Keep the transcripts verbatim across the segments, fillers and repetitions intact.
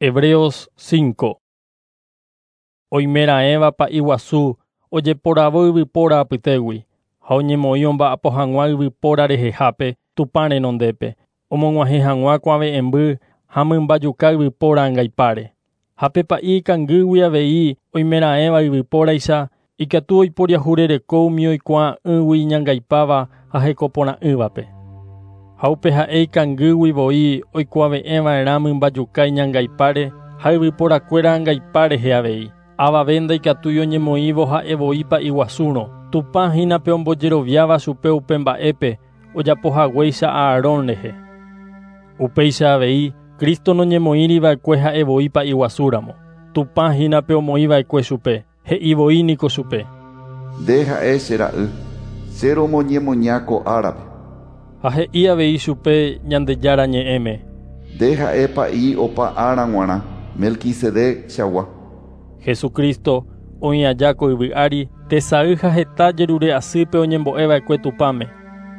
Hebreos cinco. Oimeraẽva pa'i guasu ojeporavo yvypóra apytégui ha oñemoĩ omba'apo hag̃ua yvypóra rehehápe Tupã renondépe, omog̃uahẽ hag̃ua kuave'ẽmby ha mymbajuka yvypóra angaipáre. Ha pe pa'i ikangýgui avei oimeraẽva yvypóraicha ikatu oiporiahurereko umi oikuaa'ỹgui iñangaipáva ha hekoporã'ỹvape. Ha upe ha'e ikangýgui voi oikuave'ẽva'erã mymbajuka iñangaipáre ha yvyporakuéra angaipa rehe avei. Avave ndaikatúi oñemoĩvo ha'e voi pa'i guasúrõ. Tupã hína pe ombojeroviáva chupe upe mba'épe ojapohaguéicha Aarón rehe. Upéicha avei Cristo noñemoĩriva'ekue ha'e voi pa'i guasúramo. Tupã hína pe omoĩva'ekue chupe, he'i voi niko chupe. Nde ha'e che ra'y, che romoñemoña ko árape. Ha he'i avei chupe Ñandejára ñe'ẽme. Nde ha'e pa'i opa ára g̃uarã, Melquisedec chagua. Jesucristo oĩ aja ko yvy ári tesay ha heta jerure asýpe oñembo'eva'ekue Tupãme,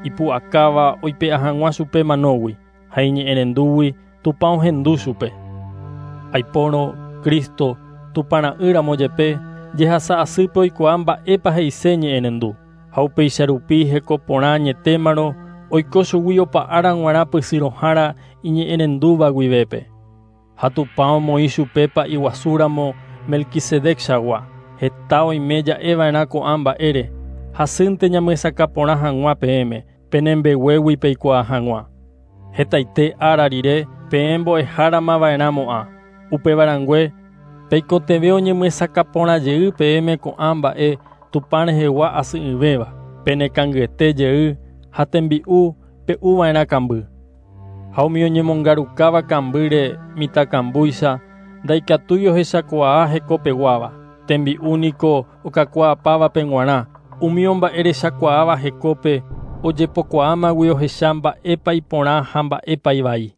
ipu'akáva oipe'a hag̃ua chupe manógui ha iñe'ẽrendúgui Tupã ohendu chupe. Aipórõ Cristo Tupã ra'ýramo jepe jehasa asýpe oikuaa mba'épa he'ise ñe'ẽrendu ha upéicha rupi heko porã añetémarõ oiko chugui opa ára g̃uarã pysyrõhára iñe'ẽrendúva guivépe. Ha Tupã omoĩ chupe pa'i guasúramo Melquisedec chagua. Heta oime ja'eva'erã ko'ã mba'ére hasýnte ñamyesakã porã hag̃ua peẽme penembeguégui peikuaa hag̃ua. Hetaite ára rire peẽ mbo'eháramava'erãmo'ã. Upevarãngue peikotevẽ oñemyesakã porã jey peẽme ko'ã mba'e Tupã rehegua asy'ỹvéva, penekangyete jey ha tembi'u pe'uva'erã kamby. Ha umi oñemongarukáva kambýre mitãkambúicha ndaikatúi ohechakuaa hekopeguáva. Tembi'u niko okakuaapávape g̃uarã, umi omba'erechakuaáva hekópe ojepokuaámagui ohecha mba'épa iporã ha mba'épa ivai.